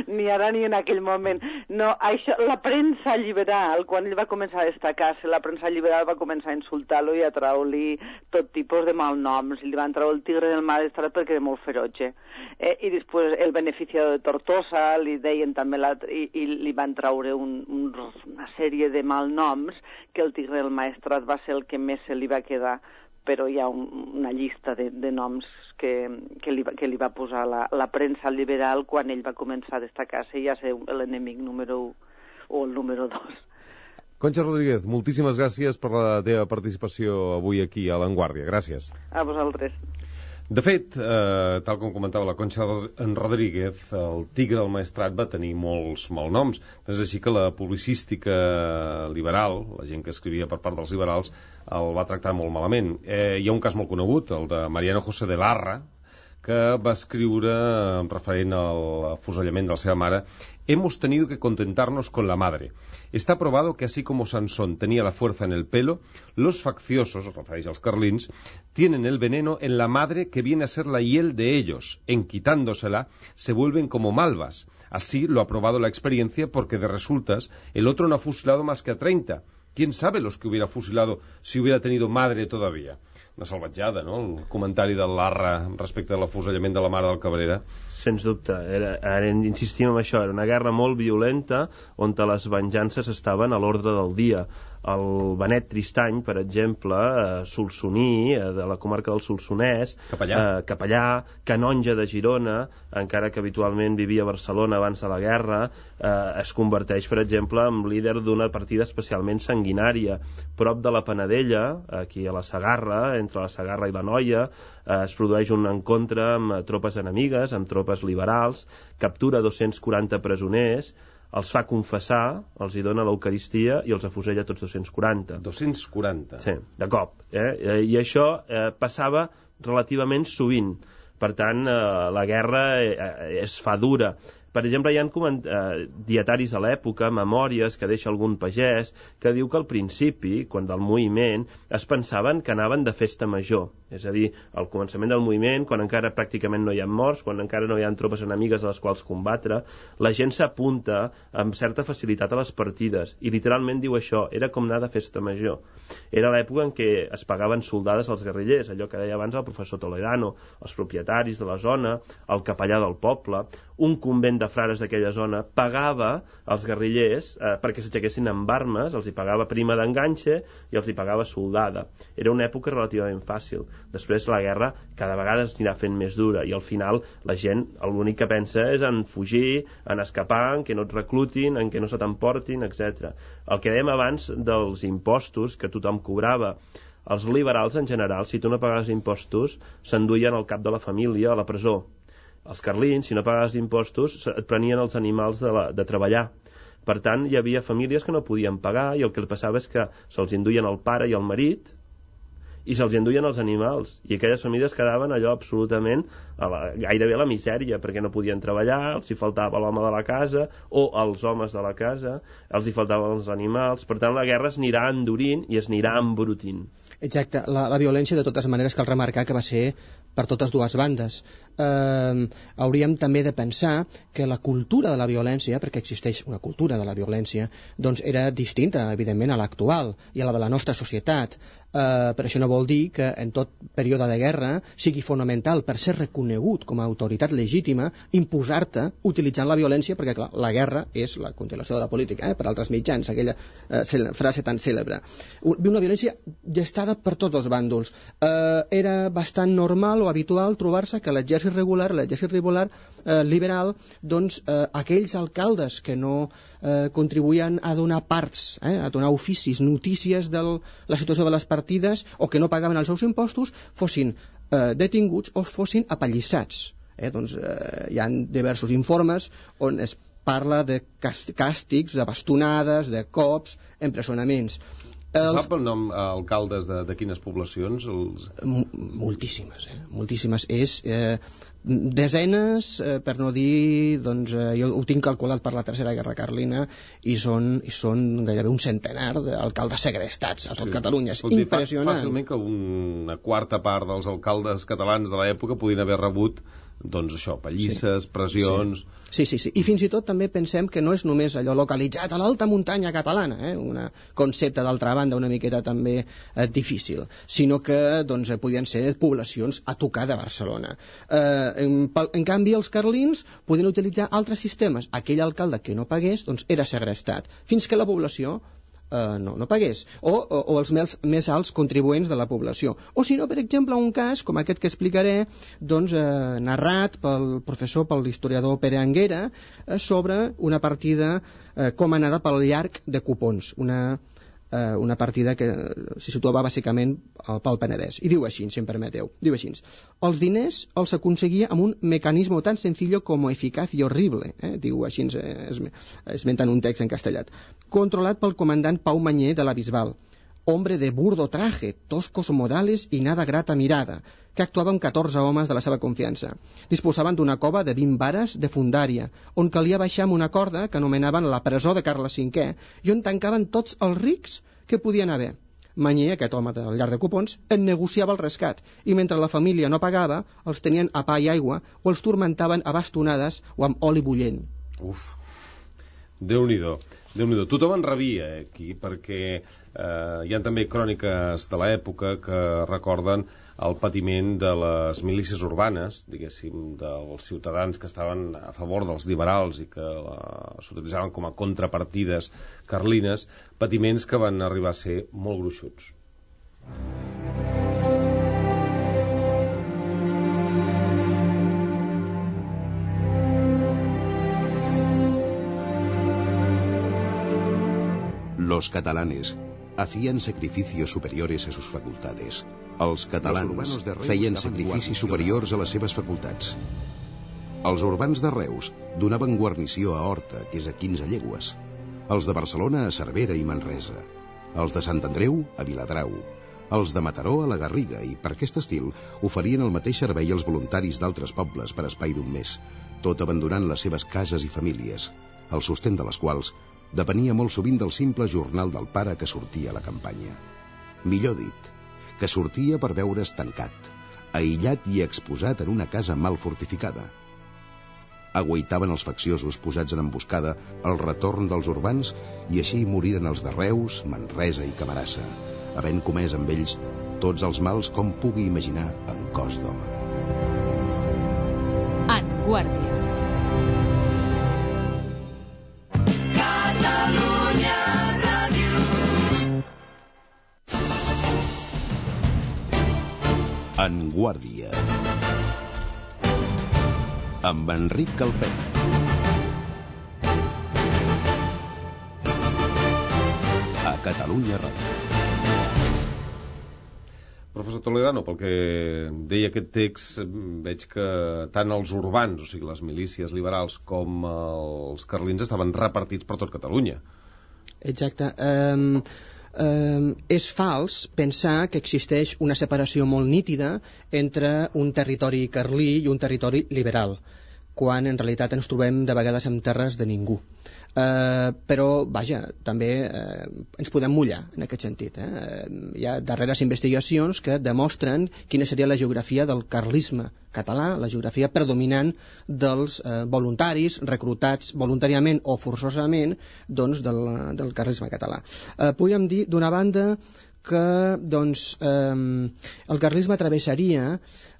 ni ara ni en aquell moment. No, això, la premsa liberal, quan ell va començar a destacar-se, la premsa liberal va començar a insultar-lo i a treure-li tot tipus de malnoms. Li van treure el tigre del Maestrat perquè era molt ferotge. Eh, I després el beneficiador de Tortosa, li deien també, la, i, i li van treure un, un, una sèrie de malnoms que el tigre del Maestrat va ser el que més se li va quedar, però hi ha un, una llista de, de noms que, que, li, que li va posar la, la premsa liberal quan ell va començar a destacar-se i a ser l'enemic número u o el número dos. Concha Rodríguez, moltíssimes gràcies per la teva participació avui aquí a L'Enguàrdia. Gràcies. A vosaltres. De fet, eh, tal com comentava la Concha Rodríguez, el tigre del Maestrat va tenir molts malnoms. És així que la publicística liberal, la gent que escrivia per part dels liberals, el va tractar molt malament. Eh, hi ha un cas molt conegut, el de Mariano José de Larra, que va escriure, referent al afusellament de la seva mare: «Hemos tenido que contentarnos con la madre. Está probado que así como Sansón tenía la fuerza en el pelo, los facciosos, refereix als carlins, tienen el veneno en la madre que viene a ser la hiel de ellos. En quitándosela, se vuelven como malvas. Así lo ha probado la experiencia porque de resultas el otro no ha fusilado más que a treinta. ¿Quién sabe los que hubiera fusilado si hubiera tenido madre todavía?» Una salvatjada, no?, el comentari del Larra respecte a l'afusellament de la mare del Cabrera. Sens dubte, era, ara insistim en això, era una guerra molt violenta on les venjances estaven a l'ordre del dia. El Benet Tristany, per exemple, eh, solsoní, eh, de la comarca del Solsonès, capellà. Eh, capellà, canonge de Girona, encara que habitualment vivia a Barcelona abans de la guerra, eh, es converteix, per exemple, en líder d'una partida especialment sanguinària. Prop de la Panadella, aquí a la Segarra, entre la Segarra i la Noia, eh, es produeix un encontre amb tropes enemigues, amb tropes liberals, captura dos-cents quaranta presoners, els fa confessar, els hi dona l'Eucaristia i els afusella tots dos-cents quaranta. dos-cents quaranta? Sí, de cop. Eh? I això eh, passava relativament sovint. Per tant, eh, la guerra eh, es fa dura. Per exemple, hi ha eh, dietaris a l'època, memòries que deixa algun pagès, que diu que al principi, quan del moviment, es pensaven que anaven de festa major. És a dir, al començament del moviment, quan encara pràcticament no hi ha morts, quan encara no hi ha tropes enemigues a les quals combatre, la gent s'apunta amb certa facilitat a les partides. I literalment diu això, era com anar de festa major. Era l'època en què es pagaven soldades als guerrillers, allò que deia abans el professor Toledano, els propietaris de la zona, el capellà del poble, un convent l'Ajuntament de Frares d'aquella zona pagava als guerrillers eh, perquè s'aixequessin amb armes, els hi pagava prima d'enganxe i els hi pagava soldada. Era una època relativament fàcil. Després la guerra cada vegada es anirà fent més dura i al final la gent l'únic que pensa és en fugir, en escapar, en que no et reclutin, en que no se t'emportin, etcètera. El que dèiem abans dels impostos que tothom cobrava, els liberals en general, si tu no pagaves impostos, s'enduien al cap de la família a la presó. Els carlins, si no pagaves impostos, et prenien els animals de, la, de treballar. Per tant, hi havia famílies que no podien pagar i el que passava és que se'ls enduien el pare i el marit i se'ls enduien els animals. I aquelles famílies quedaven allò absolutament a la, gairebé a la misèria, perquè no podien treballar, els hi faltava l'home de la casa o els homes de la casa, els hi faltaven els animals. Per tant, la guerra es anirà endurint i es anirà embrutint. Exacte, la, la violència de totes maneres cal remarcar que va ser per totes dues bandes. Eh, hauríem també de pensar que la cultura de la violència, perquè existeix una cultura de la violència, doncs era distinta, evidentment, a l'actual i a la de la nostra societat. Eh, per això no vol dir que en tot període de guerra sigui fonamental per ser reconegut com a autoritat legítima imposar-te utilitzant la violència, perquè clar, la guerra és la continuació de la política, eh, per altres mitjans, aquella eh, frase tan cèlebre. Una violència gestada per tots els bàndols. Eh, era bastant normal o habitual trobar-se que l'exèrcit regular, l'exèrcit regular eh, liberal, doncs eh, aquells alcaldes que no eh, contribuïen a donar parts, eh, a donar oficis, notícies de la situació de les partides o que no pagaven els seus impostos, fossin eh, detinguts o fossin apallissats. Eh, doncs eh, hi ha diversos informes on es parla de càstigs, de bastonades, de cops, empresonaments. Els... Sap el nom eh, alcaldes de, de quines poblacions? Els... Moltíssimes, eh? Moltíssimes. És eh, desenes, eh, per no dir, doncs, eh, jo ho tinc calculat per la Tercera Guerra Carlina i són, i són gairebé un centenar d'alcaldes segrestats a tot sí. Catalunya. És impressionant. Fàcilment que una quarta part dels alcaldes catalans de l'època podien haver rebut doncs això, pallisses, sí. pressions... Sí. sí, sí, sí. I fins i tot també pensem que no és només allò localitzat a l'alta muntanya catalana, eh? Un concepte d'altra banda una miqueta també eh, difícil, sinó que doncs, podien ser poblacions a tocar de Barcelona. Eh, en, en canvi, els carlins podien utilitzar altres sistemes. Aquell alcalde que no pagués doncs, era segrestat, fins que la població Uh, no, no pagués, o, o, o els més, més alts contribuents de la població. O si no, per exemple, un cas, com aquest que explicaré, doncs, eh, narrat pel professor, pel historiador Pere Anguera, eh, sobre una partida eh, comandada pel llarg de cupons, una, eh, una partida que se situava bàsicament pel Penedès. I diu així, si em permeteu, diu així: els diners els aconseguia amb un mecanisme tan sencillo como eficaz y horrible, eh? Diu així, eh, esmentant un text en castellat, controlat pel comandant Pau Manyer de la Bisbal, hombre de burdo traje, toscos modales i nada grata mirada, que actuava amb catorze homes de la seva confiança. Disposaven d'una cova de vint vares de fundària, on calia baixar amb una corda que anomenaven la presó de Carles cinquè, i on tancaven tots els rics que podien haver. Manyer, aquest home del llarg de cupons, en negociava el rescat, i mentre la família no pagava, els tenien a pa i aigua o els turmentaven a bastonades o amb oli bullent. Uf, Déu-n'hi-do. Déu-n'hi-do. Tothom en rebia eh, aquí, perquè eh, hi ha també cròniques de l'època que recorden el patiment de les milícies urbanes, diguéssim, dels ciutadans que estaven a favor dels liberals i que uh, s'utilitzaven com a contrapartides carlines, patiments que van arribar a ser molt gruixuts. Los catalanes hacían sacrificios superiores a sus facultades. Els catalans feien sacrificis superiors a les seves facultats. Els urbans de Reus donaven guarnició a Horta, que és a quinze llegües. Els de Barcelona a Cervera i Manresa. Els de Sant Andreu a Viladrau. Els de Mataró a la Garriga, i per aquest estil oferien el mateix servei als voluntaris d'altres pobles per espai d'un mes, tot abandonant les seves cases i famílies, el sostén de les quals depenia molt sovint del simple jornal del pare que sortia a la campanya. Millor dit, que sortia per veure's tancat, aïllat i exposat en una casa mal fortificada. Aguaitaven els facciosos posats en emboscada al retorn dels urbans i així moriren els de Reus, Manresa i Camarasa, havent comès amb ells tots els mals com pugui imaginar en cos d'home. En Guàrdia. En Guàrdia, amb Enric Calpet. A Catalunya Ràdio. Professor Toledano, pel que deia aquest text, veig que tant els urbans, o sigui, les milícies liberals, com els carlins estaven repartits per tot Catalunya. Exacte. Um, um, és fals pensar que existeix una separació molt nítida entre un territori carlí i un territori liberal, quan en realitat ens trobem de vegades en terres de ningú. Uh, però, vaja, també uh, ens podem mullar en aquest sentit. Eh? Uh, hi ha darreres investigacions que demostren quina seria la geografia del carlisme català, la geografia predominant dels uh, voluntaris reclutats voluntàriament o forçosament, doncs, del, del carlisme català. Uh, podríem dir, d'una banda, que doncs, um, el carlisme travessaria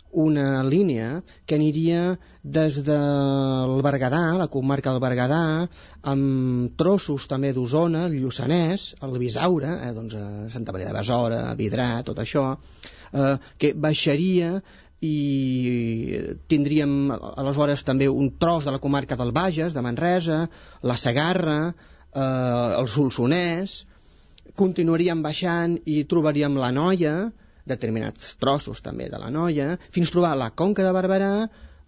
una línia que aniria des del Berguedà, la comarca del Berguedà, amb trossos també d'Osona, el Lluçanès, el Bisaure, eh, doncs a Santa Maria de Besora, Vidrà, tot això, eh, que baixaria i tindríem aleshores també un tros de la comarca del Bages, de Manresa, la Segarra, eh, el Solsonès, continuaríem baixant i trobaríem la Noia, determinats trossos també de la Noia, fins a trobar la Conca de Barberà,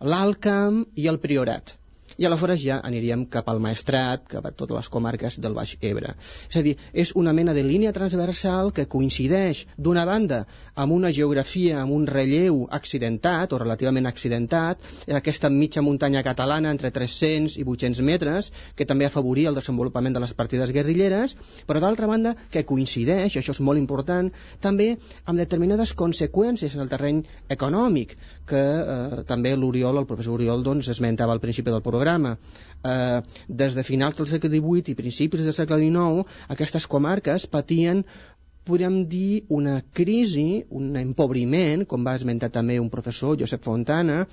l'Alt Camp i el Priorat. I aleshores ja aniríem cap al Maestrat, cap a totes les comarques del Baix Ebre. És a dir, és una mena de línia transversal que coincideix, d'una banda, amb una geografia, amb un relleu accidentat, o relativament accidentat, aquesta mitja muntanya catalana entre tres-cents i vuit-cents metres, que també afavoria el desenvolupament de les partides guerrilleres, però d'altra banda, que coincideix, això és molt important, també amb determinades conseqüències en el terreny econòmic, que eh, també l'Oriol, el professor Oriol, doncs, esmentava al principi del programa. Eh, des de finals del segle divuit i principis del segle dinou, aquestes comarques patien, podríem dir, una crisi, un empobriment, com va esmentar també un professor, Josep Fontana,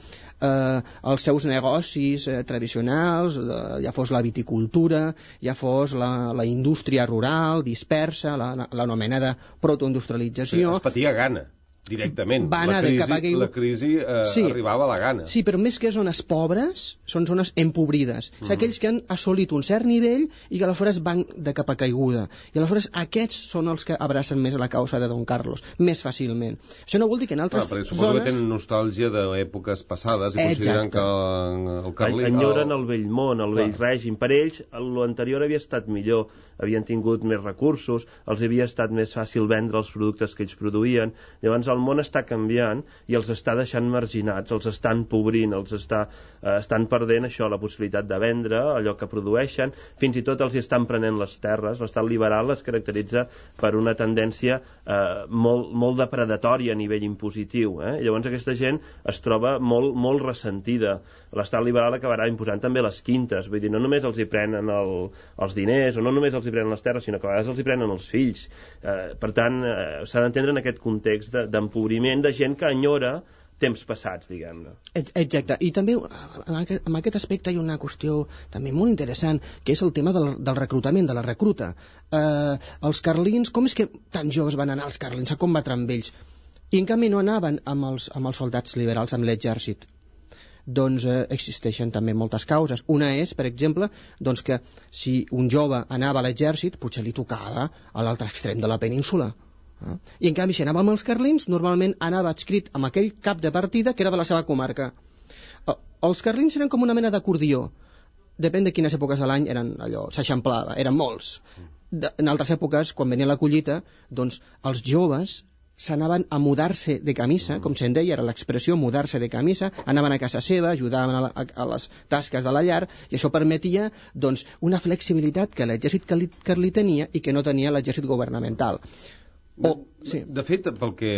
eh, els seus negocis eh, tradicionals, eh, ja fos la viticultura, ja fos la, la indústria rural dispersa, l'anomenada protoindustrialització. Es patia gana. Directament. Va anar la crisi, cap a aquell... la crisi eh, sí. arribava a la gana. Sí, però més que zones pobres, són zones empobrides. Mm-hmm. És aquells que han assolit un cert nivell i que aleshores van de cap a caiguda. I aleshores aquests són els que abracen més la causa de Don Carlos, més fàcilment. Això no vol dir que en altres ah, zones... Suposo que tenen nostàlgia d'èpoques passades i consideren que el Carlí... Enyoren el vell món, el vell règim. Per ells, l'anterior havia estat millor, havien tingut més recursos, els havia estat més fàcil vendre els productes que ells produïen. Llavors, el món està canviant i els està deixant marginats, els estan empobrint, els està, eh, estan perdent això, la possibilitat de vendre allò que produeixen, fins i tot els hi estan prenent les terres. L'estat liberal es caracteritza per una tendència eh, molt, molt depredatòria a nivell impositiu. Eh? Llavors aquesta gent es troba molt, molt ressentida. L'estat liberal acabarà imposant també les quintes, vull dir, no només els hi prenen el, els diners, o no només els hi prenen les terres, sinó que a vegades els hi prenen els fills. Eh, per tant, eh, s'ha d'entendre en aquest context de, de empobriment de gent que enyora temps passats, diguem-ne. Exacte, i també en aquest aspecte hi ha una qüestió també molt interessant, que és el tema del, del reclutament, de la recruta. Eh, els carlins, com és que tan joves van anar els carlins a combatre amb ells? I en canvi no anaven amb els, amb els soldats liberals, amb l'exèrcit. Doncs eh, existeixen també moltes causes. Una és, per exemple, doncs que si un jove anava a l'exèrcit, potser li tocava a l'altre extrem de la península. Eh? I en canvi, si anava amb els carlins, normalment anava adscrit amb aquell cap de partida que era de la seva comarca. Eh, els carlins eren com una mena d'acordió. Depèn de quines èpoques de l'any eren allò, s'eixamplava, eren molts. De, en altres èpoques, quan venia la collita, doncs els joves s'anaven a mudar-se de camisa, com se'n deia, era l'expressió mudar-se de camisa, anaven a casa seva, ajudaven a, la, a, a les tasques de la llar, i això permetia doncs, una flexibilitat que l'exèrcit carlí tenia i que no tenia l'exèrcit governamental. O, sí. De fet, pel que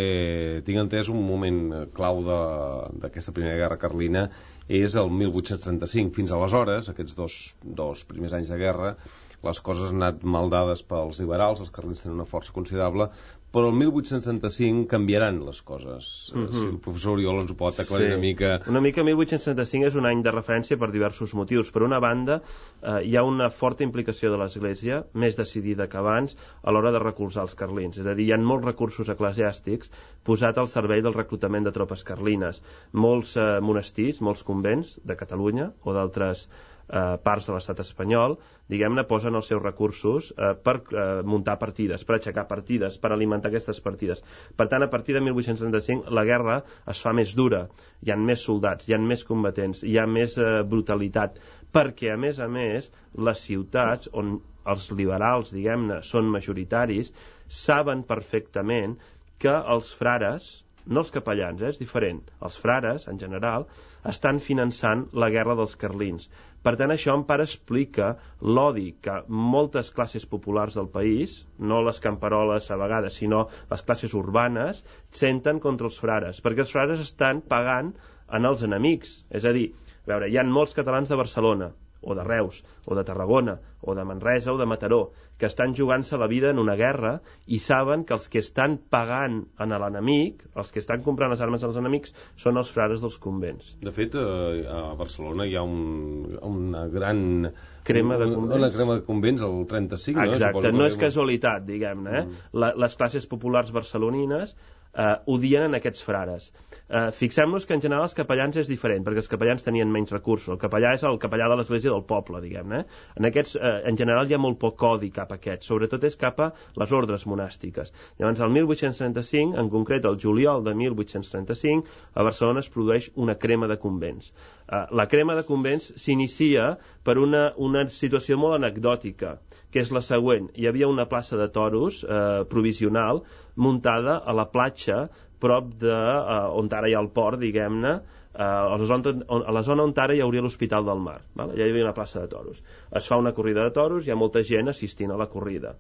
tinc entès, un moment clau d'aquesta primera guerra carlina és el mil vuit-cents trenta-cinc. Fins aleshores, aquests dos, dos primers anys de guerra, les coses han anat mal dades pels liberals, els carlins tenen una força considerable, però el mil vuit-cents trenta-cinc canviaran les coses. Mm-hmm. Si el professor Oriol ens ho pot aclarir sí. una mica... Una mica mil vuit-cents trenta-cinc és un any de referència per diversos motius. Per una banda, eh, hi ha una forta implicació de l'Església, més decidida que abans, a l'hora de recolzar els carlins. És a dir, hi ha molts recursos eclesiàstics posats al servei del reclutament de tropes carlines. Molts eh, monestirs, molts convents de Catalunya o d'altres eh, parts de l'estat espanyol, diguem-ne, posen els seus recursos eh, per eh, muntar partides, per aixecar partides, per alimentar aquestes partides. Per tant, a partir de mil vuit-cents trenta-cinc la guerra es fa més dura, hi ha més soldats, hi ha més combatents, hi ha més eh, brutalitat, perquè, a més a més, les ciutats on els liberals, diguem-ne, són majoritaris, saben perfectament que els frares, no els capellans, eh, és diferent, els frares, en general, estan finançant la guerra dels carlins. Per tant, això en part explica l'odi que moltes classes populars del país, no les camperoles a vegades, sinó les classes urbanes, senten contra els frares, perquè els frares estan pagant en els enemics. És a dir, a veure, hi ha molts catalans de Barcelona, o de Reus, o de Tarragona, o de Manresa, o de Mataró, que estan jugant-se la vida en una guerra i saben que els que estan pagant en l'enemic, els que estan comprant les armes als enemics, són els frares dels convents. De fet, a Barcelona hi ha un, una gran... crema de convents. Una crema de convents al trenta-cinc, no? Exacte, no és casualitat, diguem-ne. Eh? Mm. La, les classes populars barcelonines eh, odien en aquests frares. Eh, Fixem-nos que en general els capellans és diferent, perquè els capellans tenien menys recursos. El capellà és el capellà de l'església del poble, diguem-ne. En aquests, eh, en general, hi ha molt poc codi cap a aquests, sobretot és cap a les ordres monàstiques. Llavors, el mil vuit-cents trenta-cinc, en concret el juliol de mil vuit-cents trenta-cinc, a Barcelona es produeix una crema de convents. Eh, la crema de convents s'inicia per una, una situació molt anecdòtica, que és la següent. Hi havia una plaça de toros eh, provisional muntada a la platja prop de eh, on ara hi ha el port, diguem-ne, eh, a, la zona, a la zona on ara hi hauria l'Hospital del Mar. Val? Ja hi havia una plaça de toros. Es fa una corrida de toros, hi ha molta gent assistint a la corrida.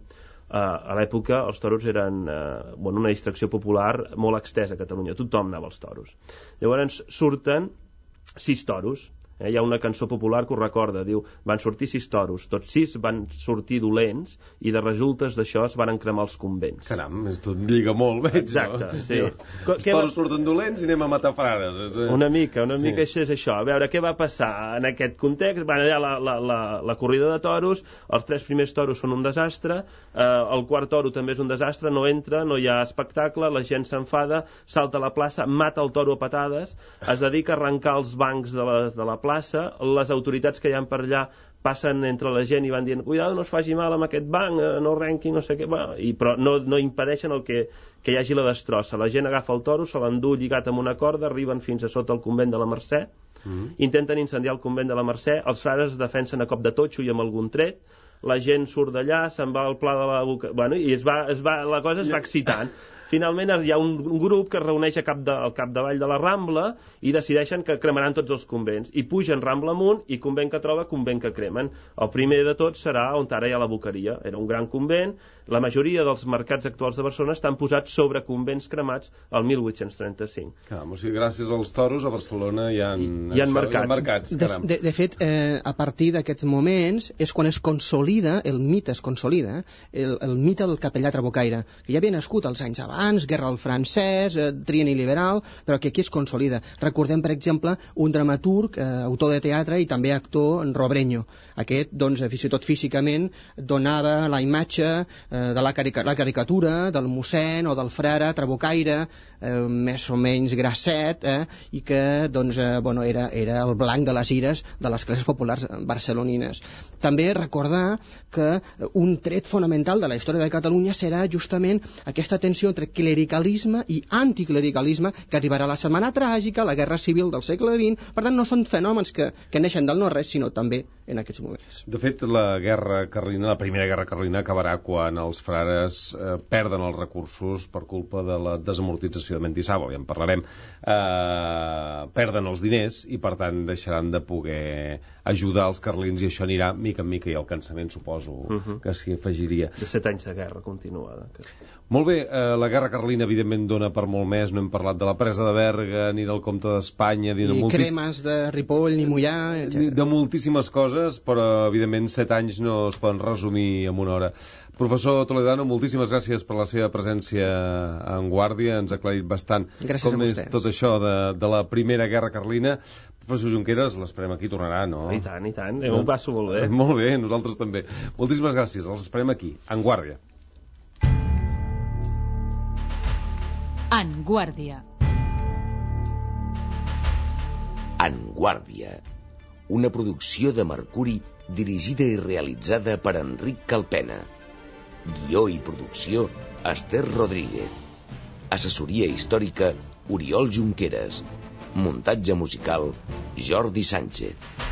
Eh, a l'època els toros eren eh, bueno, una distracció popular molt extesa a Catalunya. Tothom anava als toros. Llavors surten sis toros. Eh, hi ha una cançó popular que ho recorda, diu, van sortir sis toros, tots sis van sortir dolents i de resultes d'això es van cremar els convents. Caram, tot lliga molt, veig. Exacte, no? Sí. Jo, els toros va... surten dolents i anem a matar frares. És... Una mica, una sí. mica això és això. A veure, què va passar en aquest context? Van allà la, la, la, la corrida de toros, els tres primers toros són un desastre, eh, el quart toro també és un desastre, no entra, no hi ha espectacle, la gent s'enfada, salta a la plaça, mata el toro a patades, es dedica a arrencar els bancs de, les, de la plaça, plaça, les autoritats que hi ha per allà passen entre la gent i van dient cuidado, no es faci mal amb aquest banc, no renqui, no sé què, bueno, i, però no, no impedeixen el que, que hi hagi la destrossa. La gent agafa el toro, se l'endú lligat amb una corda, arriben fins a sota el convent de la Mercè, mm-hmm. intenten incendiar el convent de la Mercè, els frares es defensen a cop de totxo i amb algun tret, la gent surt d'allà, se'n va al pla de la boca... Bueno, i es va, es va, la cosa es va excitant. Finalment hi ha un, un grup que es reuneix a cap de, al capdavall de la Rambla i decideixen que cremaran tots els convents. I pugen Rambla amunt i convent que troba, convent que cremen. El primer de tots serà on ara hi ha la Boqueria. Era un gran convent. La majoria dels mercats actuals de Barcelona estan posats sobre convents cremats al mil vuit-cents trenta-cinc. Caram, o sigui, gràcies als toros a Barcelona hi ha, hi, hi ha això, mercats. Hi ha mercats de, de, de fet, eh, a partir d'aquests moments és quan es consolida, el mite es consolida, el, el mite del capellà trabucaire, que ja havia nascut als anys abans, Guerra al francès, eh, trienni liberal, però que aquí es consolida. Recordem, per exemple, un dramaturg, eh, autor de teatre i també actor, en Robrenyo. Aquest, doncs, fins i tot físicament, donava la imatge eh, de la, carica la caricatura del mossèn o del frare trabucaire, eh, més o menys grasset, eh, i que, doncs, eh, bueno, era, era el blanc de les ires de les classes populars barcelonines. També recordar que un tret fonamental de la història de Catalunya serà justament aquesta tensió entre clericalisme i anticlericalisme que arribarà a la Setmana Tràgica, la Guerra Civil del segle vint. Per tant, no són fenòmens que, que neixen del no-res, sinó també en aquests moments. De fet, la guerra carlina, la primera guerra carlina acabarà quan els frares eh, perden els recursos per culpa de la desamortització de Mendizábal, ja en parlarem, eh, perden els diners i per tant deixaran de poder ajudar els carlins i això anirà mica en mica i el cansament suposo uh-huh. que s'hi afegiria. De set anys de guerra continuada. Que... Molt bé, eh, la guerra carlina evidentment dona per molt més, no hem parlat de la presa de Berga ni del comte d'Espanya ni, ni de moltis... cremes de Ripoll ni Mollà, etcètera. De moltíssimes coses, però evidentment set anys no es poden resumir en una hora. Professor Toledano, moltíssimes gràcies per la seva presència en Guàrdia, ens ha aclarit bastant gràcies com és tot això de, de la Primera Guerra Carlina. Professor Junqueras, l'esperem aquí, tornarà, no? I tant, i tant, jo m'ho passo molt bé. Molt bé, nosaltres també. Moltíssimes gràcies, els esperem aquí, en Guàrdia. En Guàrdia. En Guàrdia, una producció de Mercuri dirigida i realitzada per Enric Calpena. Guió i producció, Esther Rodríguez. Assessoria històrica, Oriol Junqueras. Muntatge musical, Jordi Sánchez.